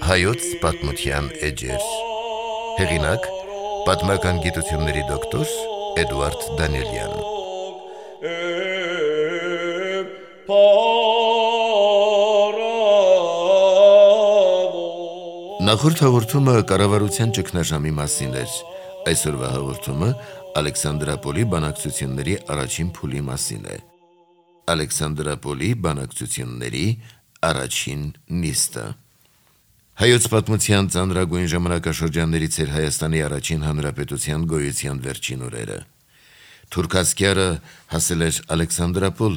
Հայոց պատմության էջեր։ Հեղինակ՝ պատմական գիտությունների դոկտոր Էդուարդ Դանիելյան։ Նախորդ հաղորդումը կառավարության ճգնաժամի մասին էր։ Այսօրվա հաղորդումը Ալեքսանդրապոլի բանակցությունների առաջին փուլի մասին է։ Ալեքսանդրապոլի բանակցությունների առաջին նիստը։ Հայոց պատմության ծանրագույն ժամանակաշրջաններից էր Հայաստանի առաջին հանրապետության գոյության վերջին օրերը։ Թուրքասկյարը հասել էր Ալեքսանդրապոլ,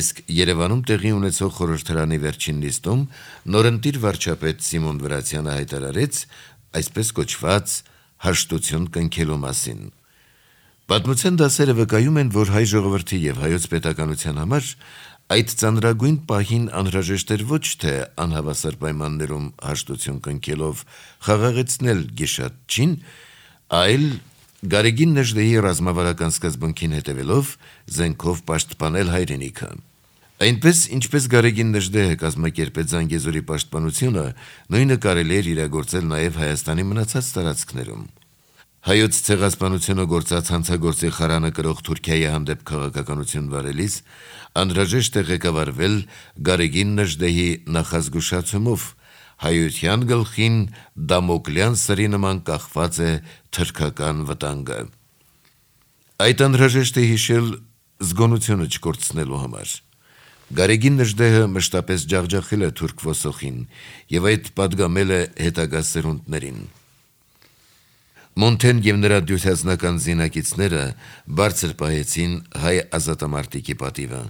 իսկ Երևանում տեղի ունեցող խորհրդարանի վերջին նիստում նորընտիր վարչապետ Սիմոն Վրացյանը հայտարարեց այսպես կոչված հաշտություն կնքելու մասին։ Պատմության դասերը վկայում են, որ հայ ժողովրդի եւ հայոց պետականության համար այդ ծանրագույն պահին անհրաժեշտ էր ոչ թե անհավասար պայմաններում հաշտություն կնքելով խաղաղեցնել գիշատչին, այլ Գարեգին Նժդեհի ռազմավարական սկզբունքին հետևելով զենքով պաշտպանել հայրենիքը։ Այնպես, ինչպես Գարեգին Նժդեհը կազմակերպեց Զանգեզուրի պաշտպանությունը, նույնը կարելի էր իրագործել նաև Հայաստանի մնացած տարածքներում։ Հայոց ցեղասպանությունը գործած հանցագործի խարանը կրող Թուրքիայի հանդեպ քաղաքականություն վարելիս անհրաժեշտ է ղեկավարվել Գարեգին Նժդեհի նախազգուշացումով հայության գլխին Դամոկլյան սրի նման կախված է թրքական վտանգը։ Այդ անհրաժեշտ է հիշել զգոնությունը չկորցնելու համար։ Գարեգին Նժդեհը մշտապես ջախջախել է թուրք ոսոխին եւ այդ պատգամել է հետագա սերունդներին։ Մոնթեն եւ նրա դյուցասնական զինակիցները բարձր պահեցին հայ ազատամարտիկի պատիվը։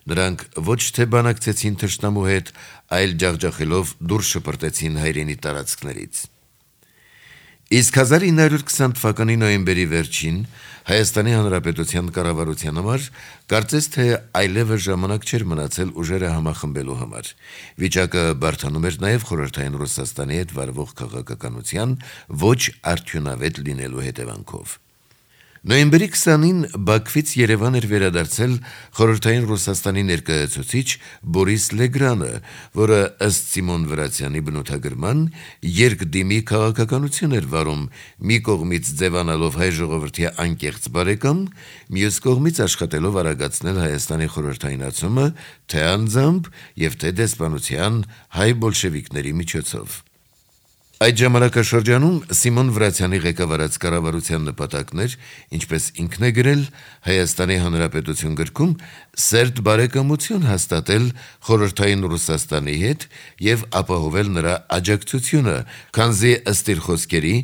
Նրանք ոչ թե բանակցեցին թշնամու հետ, այլ ջախջախելով դուրս շպրտեցին հայրենի տարածքներից։ Իսկ 1920 թվականի նոյեմբերի վերջին Հայաստանի Հանրապետության կառավարության համար կարծես թե այլևս ժամանակ չէր մնացել ուժերը համախմբելու համար։ Վիճակը բարդանում էր նաև խորհրդային Ռուսաստանի հետ վարվող քաղաքականության ոչ արդյունավետ լինելու հետևանքով։ Նոյեմբերի 20-ին Բաքվից Երևան էր վերադարձել խորհրդային Ռուսաստանի ներկայացուցիչ Բորիս Լեգրանը, որը ըստ Սիմոն Վրացյանի բնութագրման երկդիմի քաղաքականություն էր վարում, մի կողմից ձևանալով հայ ժողովրդի անկեղծ բարեկամ, մյուս կողմից աշխատելով արագացնել Հայաստանի խորհրդայնացումը թե անձամբ եւ թե դեսպանության հայ բոլշևիկների միջոցով։ Այդ ժամանակաշրջանում Սիմոն Վրացյանի ղեկավարած կառավարության նպատակն էր, ինչպես ինքն է գրել Հայաստանի Հանրապետություն գրքում, սերտ բարեկամություն հաստատել խորհրդային Ռուսաստանի հետ եւ ապահովել նրա աջակցությունը, քանզի ըստ իր խոսքերի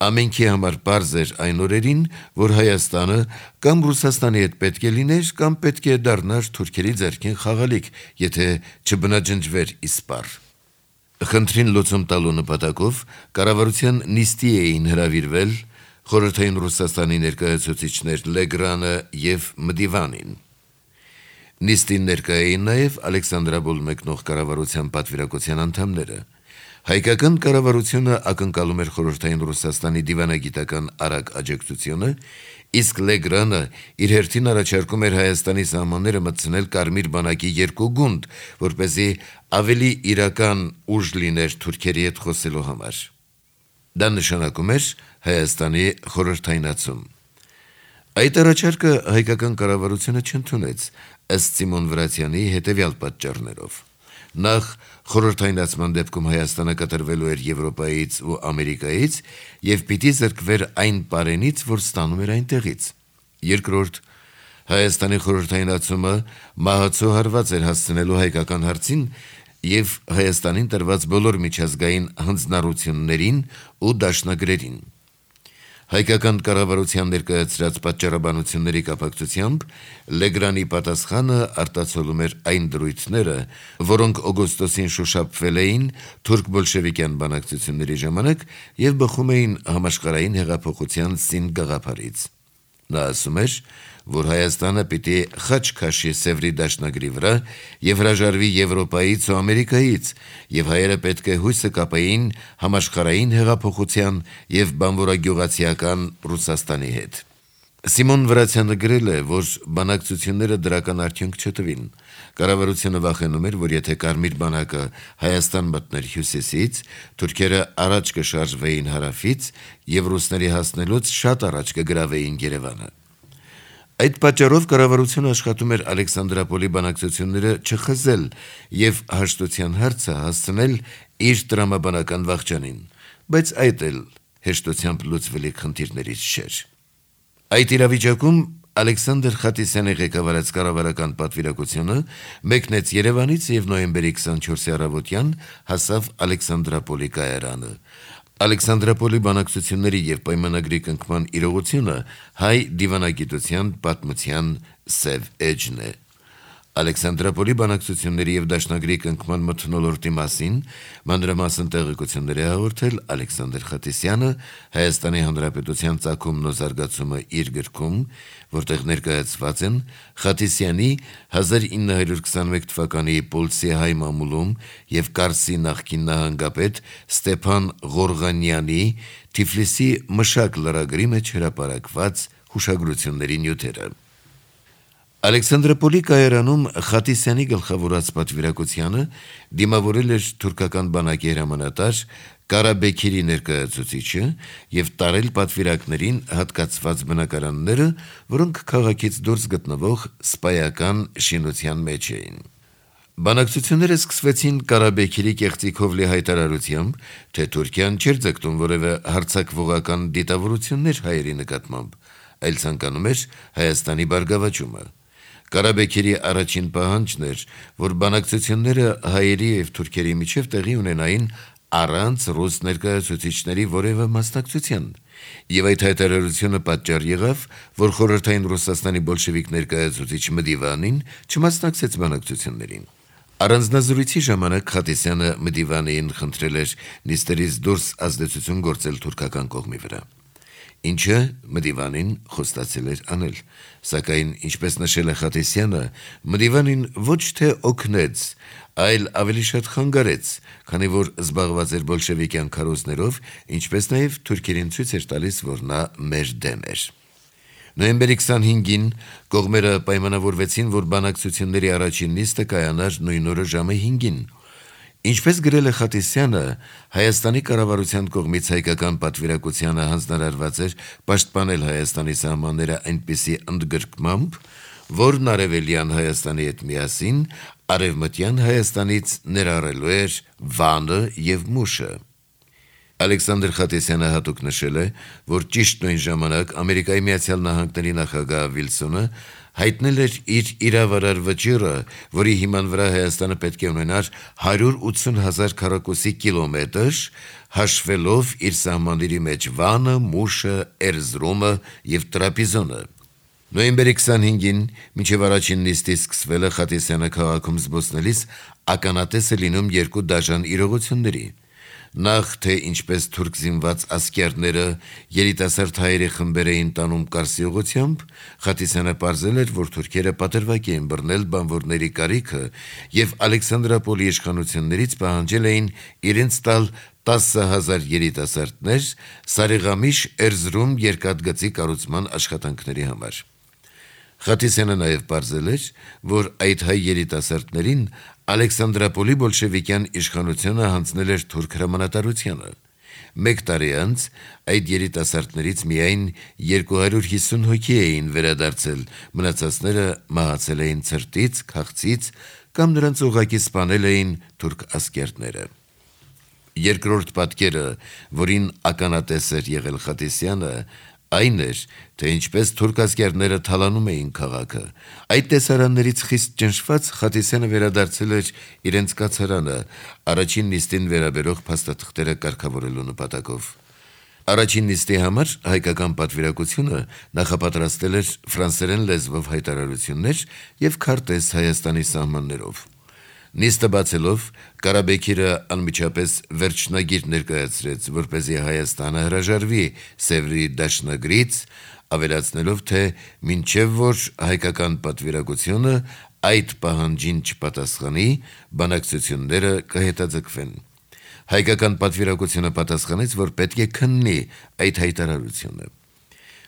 ամենքի համար պարզ էր այն օրերին, որ Հայաստանը կամ Ռուսաստանի հետ պետք է լիներ, կամ պետք է դառնար թուրքերի ձեռքին խաղալիք, եթե չբնաջնջվեր իսպառ։ Խնդրին լուծում տալու նպատակով կառավարության նիստի էին հրավիրվել խորհրդային Ռուսաստանի ներկայացուցիչներ Լեգրանը եւ Մդիվանին։ Նիստին ներկայ էին նաև Ալեքսանդրապոլ մեկնող կառավարության պատվիրակության անդամները։ Հայկական կառավարությունը ակնկալում էր խորհրդային Ռուսաստանի դիվանագիտական արագ աջակցությունը, իսկ Լեգրանը իր հերթին առաջարկում էր Հայաստանի սահմանները մտցնել Կարմիր բանակի 2 գունդ, որպեսզի ավելի իրական ուժ լիներ թուրքերի հետ խոսելու համար։ Դա նշանակում էր Հայաստանի խորհրդայնացում։ Այդ առաջարկը հայկական կառավարությունը չընդունեց, ըստ Սիմոն Վրացյանի հետևյալ պատճառներով։ Նախ խորհրդայնացման դեպքում Հայաստանը կտրվելու էր Եվրոպայից ու Ամերիկայից եւ պիտի զրկվեր այն պարենից, որ ստանում էր այնտեղից։ Երկրորդ, Հայաստանի խորհրդայնացումը մահացու հարված էր հասցնելու հայկական հարցին եւ Հայաստանին տրված բոլոր միջազգային հանձնառություններին ու դաշնագրերին։ Հայկական կառավարության ներկայացրած պատճառաբանությունների կապակցությամբ Լեգրանի պատասխանը արտացոլում էր այն դրույթները, որոնք օգոստոսին շոշափվել էին թուրք բոլշևիկյան բանակցությունների ժամանակ եւ բխում էին համաշխարհային հեղափոխության սին գաղափարից։ Նա ասում էր, որ Հայաստանը պիտի խաչ քաշի Սևրի դաշնագրի վրա եւ հրաժարվի Եվրոպայից ու Ամերիկայից, եւ հայերը պետք է հույսը կապեին համաշխարհային հեղափոխության եւ բանվորագյուղացիական Ռուսաստանի հետ։ Սիմոն Վրացյանը գրել է, որ բանակցությունները դրական արդյունք չտվին։ Կառավարությունը վախենում էր, որ եթե Կարմիր բանակը Հայաստան մտներ հյուսիսից, թուրքերը առաջ կշարժվեին հարավից եւ ռուսների հասնելուց շատ առաջ կգրավեին Երևանը։ Այդ պատճառով կառավարությունը աշխատում էր Ալեքսանդրապոլի բանակցությունները չխզել եւ հաշտության հարցը հասցնել իր տրամաբանական վախճանին, բայց այդ էլ հեշտությամբ լուծվելիք խնդիրներից չէր։ Այդ իրավիճակում Ալեքսանդր Խատիսյանի ղեկավարած կառավարական պատվիրակությունը մեկնեց Երևանից եւ նոյեմբերի 24-ի առավոտյան հասավ Ալեքսանդրապոլի կայարանը։ Ալեքսանդրապոլի բանակցությունների եւ պայմանագրի կնքման իրողությունը հայ դիվանագիտության պատմության սև էջն է։ Ալեքսանդրապոլի բանակցությունների եւ դաշնագրի կնքման մթնոլորտի մասին մանրամասն տեղեկություններ է հաղորդել Ալեքսանդր Խատիսյանը Հայաստանի Հանրապետության ծագումն ու զարգացումը իր գրքում, որտեղ ներկայացված են Խատիսյանի 1921 թվականի Պոլսի հայ մամուլում եւ Կարսի նախկին նահանգապետ Ստեփան Ղորղանյանի Թիֆլիսի մշակ լրագրի մեջ հրապարակված հուշագրությունների նյութերը։ Ալեքսանդրապոլի կայարանում Խատիսյանի գլխավորած պատվիրակությանը դիմավորել էր թուրքական բանակի հրամանատար Կարաբեքիրի ներկայացուցիչը եւ տարել պատվիրակներին հատկացված բնակարանները, որոնք քաղաքից դուրս գտնվող սպայական շինության մեջ էին։ Բանակցությունները սկսվեցին Կարաբեքիրի կեղծիքով լի հայտարարությամբ, թե Թուրքիան չէր ձգտում որևէ հարձակվողական դիտավորություններ հայերի նկատմամբ, այլ ցանկանում էր Հայաստանի բարգավաճումը։ Կարաբեքիրի առաջին պահանջն էր, որ բանակցությունները հայերի եւ թուրքերի միջև տեղի ունենային առանց ռուս ներկայացուցիչների որևէ մասնակցության, եւ այդ հայտարարությունը պատճառ եղավ, որ խորհրդային Ռուսաստանի բոլշևիկ ներկայացուցիչ Մդիվանին չմասնակցեց բանակցություններին։ Առանձնազրույցի ժամանակ Խատիսյանը Մդիվանին խնդրել էր նիստերից դուրս ազդեցություն գործել թուրքական կողմի վրա, ինչը Մդիվանին խոստացել էր անել, սակայն ինչպես նշել է Խատիսյանը, Մդիվանին ոչ թե օգնեց, այլ ավելի շատ խանգարեց, քանի որ զբաղված էր բոլշևիկյան քարոզներով, ինչպես նաև թուրքերին ցույց էր տալիս, որ նա մեր դեմ էր։ Նոյեմբերի 25-ին կողմերը պայմանավորվեցին, որ բանակցությունների առաջին նիստը կայանար նույն օրը ժամը 5-ին։ Ինչպես գրել է Խատիսյանը, Հայաստանի կառավարության կողմից հայկական պատվիրակությանը հանձնարարված էր պաշտպանել Հայաստանի սահմանները այնպիսի ընդգրկմամբ, որն արևելյան Հայաստանի հետ միասին արևմտյան Հայաստանից ներառելու էր Վանը եւ Մուշը։ Ալեքսանդր Խատիսյանը հատուկ նշել է, որ ճիշտ նույն ժամանակ Ամերիկայի Միացյալ Նահանգների նախագահ Վիլսոնը հայտնել էր իր իրավարար վճիռը, որի հիման վրա Հայաստանը պետք է ունենար 180,000 քառակուսի կիլոմետր, հաշվելով իր սահմանների մեջ Վանը, Մուշը, Էրզրումը եւ Տրապիզոնը։ Նոյեմբերի 25-ին մինչև առաջին նիստի սկսվելը Խատիսյանը քաղաքում զբոսնելիս ականատես է լինում երկու դաժան իրողությունների։ Նախ թե ինչպես թուրք զինված ասկերները երիտասարդ հայերի խմբեր էին տանում Կարսի ուղղությամբ, Խատիսյանը պարզել էր, որ թուրքերը պատրվակ էին բռնել բանվորների կարիքը եւ Ալեքսանդրապոլի իշխանություններից պահանջել էին իրենց տալ 10,000 երիտասարդներ Սարիղամիշ Էրզրում երկաթգծի կառուցման աշխատանքների համար։ Խատիսյանը նաև պարզել էր, որ այդ հայ երիտասարդներին Ալեքսանդրապոլի բոլշևիկյան իշխանությունը հանձնել էր թուրք հրամանատարությանը։ Մեկ տարի անց այդ երիտասարդներից միայն 250 հոգի էին վերադարձել, մնացածները մահացել էին ցրտից, քաղցից կամ նրանց ուղղակի սպանել էին թուրք ասկերտները։ Երկրորդ պատկերը, որին ականատես էր եղել Խատիսյանը, այն էր, թե ինչպես թուրք ասկերտները թալանում էին քաղաքը։ Այդ տեսարաններից խիստ ճնշված Խատիսյանը վերադարձել էր իրենց կացարանը, առաջին նիստին վերաբերող փաստաթղթերը կարգավորելու նպատակով։ Առաջին նիստի համար հայկական պատվիրակությունը նախապատրաստել էր ֆրանսերեն լեզվով հայտարարություններ եւ քարտեզ Հայաստանի սահմաններով։ Նիստը բացելով Կարաբեքիրը անմիջապես վերջնագիր ներկայացրեց, որպեսզի Հայաստանը հրաժարվի Սևրի դաշնագրից, ավելացնելով, թե մինչև որ հայկական պատվիրակությունը այդ պահանջին չպատասխանի, բանակցությունները կհետաձգվեն։ Հայկական պատվիրակությունը պատասխանեց, որ պետք է քննի այդ հայտարարությունը։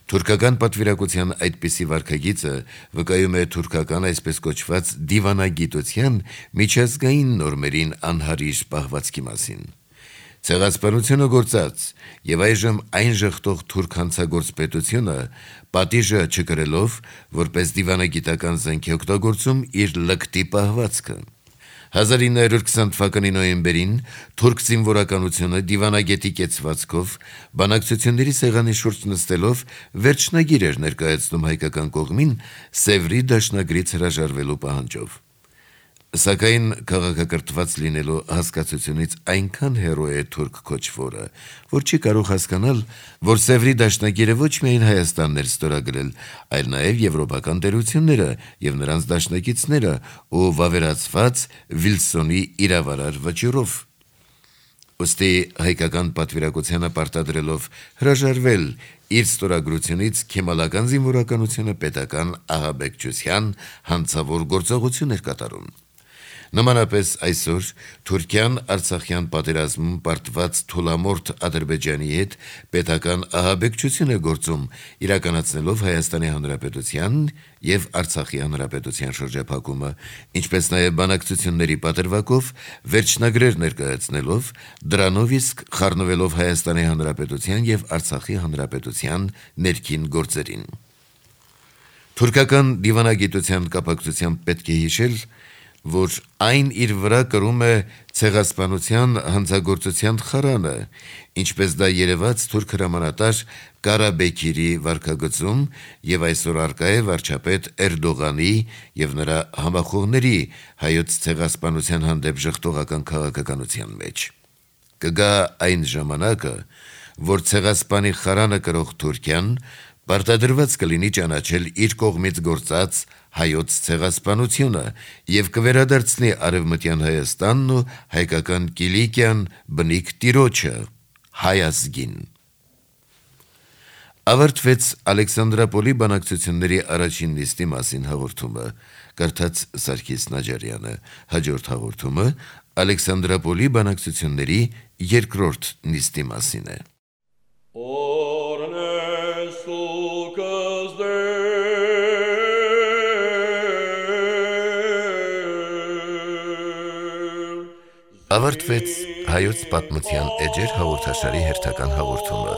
Թուրքական պատվիրակության այդպիսի վարքագիծը վկայում է թուրքական այսպես կոչված դիվանագիտության միջազգային նորմերին անհարիր պահվածքի մասին։ Ցեղասպանությունը գործած եւ այժմ այն ժխտող թուրք հանցագործ պետությունը պատիժը չկրելով, որպես դիվանագիտական զենք է օգտագործում իր լկտի պահվածքը։ 1920 թվականի նոյեմբերին թուրք զինվորականությունը դիվանագետի կեցվածքով բանակցությունների սեղանի շուրջ նստելով վերջնագիր էր ներկայացնում հայկական կողմին Սևրի դաշնագրից հրաժարվելու պահանջով։ Սակայն քաղաքակրթված լինելու հասկացությունից այնքան հեռու է թուրք քոչվորը, որ չի կարող հասկանալ, որ Սևրի դաշնագիրը ոչ միայն Հայաստանն էր ստորագրել, այլ նաև եվրոպական տերությունները եւ նրանց դաշնակիցները ու վավերացված Վիլսոնի իրավարար վճիռով։ Ոստի հայկական պատվիրակությանը պարտադրելով հրաժարվել իր ստորագրությունից քեմալական զինվորականությունը պետական ահաբեկչության հանցավոր գործողություն էր կատարում։ Նմանապես այսօր Թուրքիան Արցախյան պատերազմում պարտված թուլամորթ Ադրբեջանի հետ պետական ահաբեկչություն է գործում, իրականացնելով Հայաստանի Հանրապետության եւ Արցախի Հանրապետության շրջափակումը, ինչպես նաեւ բանակցությունների պատրվակով վերջնագրեր ներկայացնելով, դրանով իսկ խառնվելով Հայաստանի Հանրապետության եւ Արցախի Հանրապետության ներքին գործերին։ Թուրքական դիվանագիտության կապակցությամբ պետք է հիշել, որ այն իր վրա կրում է ցեղասպանության հանցագործության խարանը, ինչպես դա երևաց թուրք հրամանատար Կարաբեքիրի վարքագծում եւ այսօր արկա է վարչապետ Էրդողանի եւ նրա համախոհների հայոց ցեղասպանության հանդեպ ժխտողական քաղաքականության մեջ։ Կգա այն ժամանակը, որ ցեղասպանի խարանը կրող Թուրքիան պարտադրված կլինի ճանաչել իր կողմից գործած հայոց ցեղասպանությունը եւ կվերադարձնի արևմտյան Հայաստանն ու հայկական Կիլիկիան բնիկ տիրոջը հայազգին։ Ավարտվեց Ալեքսանդրապոլի բանակցությունների առաջին նիստի մասին հաղորդումը, կարդաց Սարգիս Նաջարյանը, հաջորդ հաղորդումը Ալեքսանդրապոլի բանակցությունների երկրորդ նիստի մասին է։ Ավարտվեց հայոց պատմության էջեր հաղորդաշարի հերթական հաղորդումը։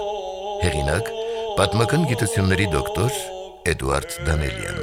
Հեղինակ պատմական գիտությունների դոկտոր Էդուարդ Դանելյան։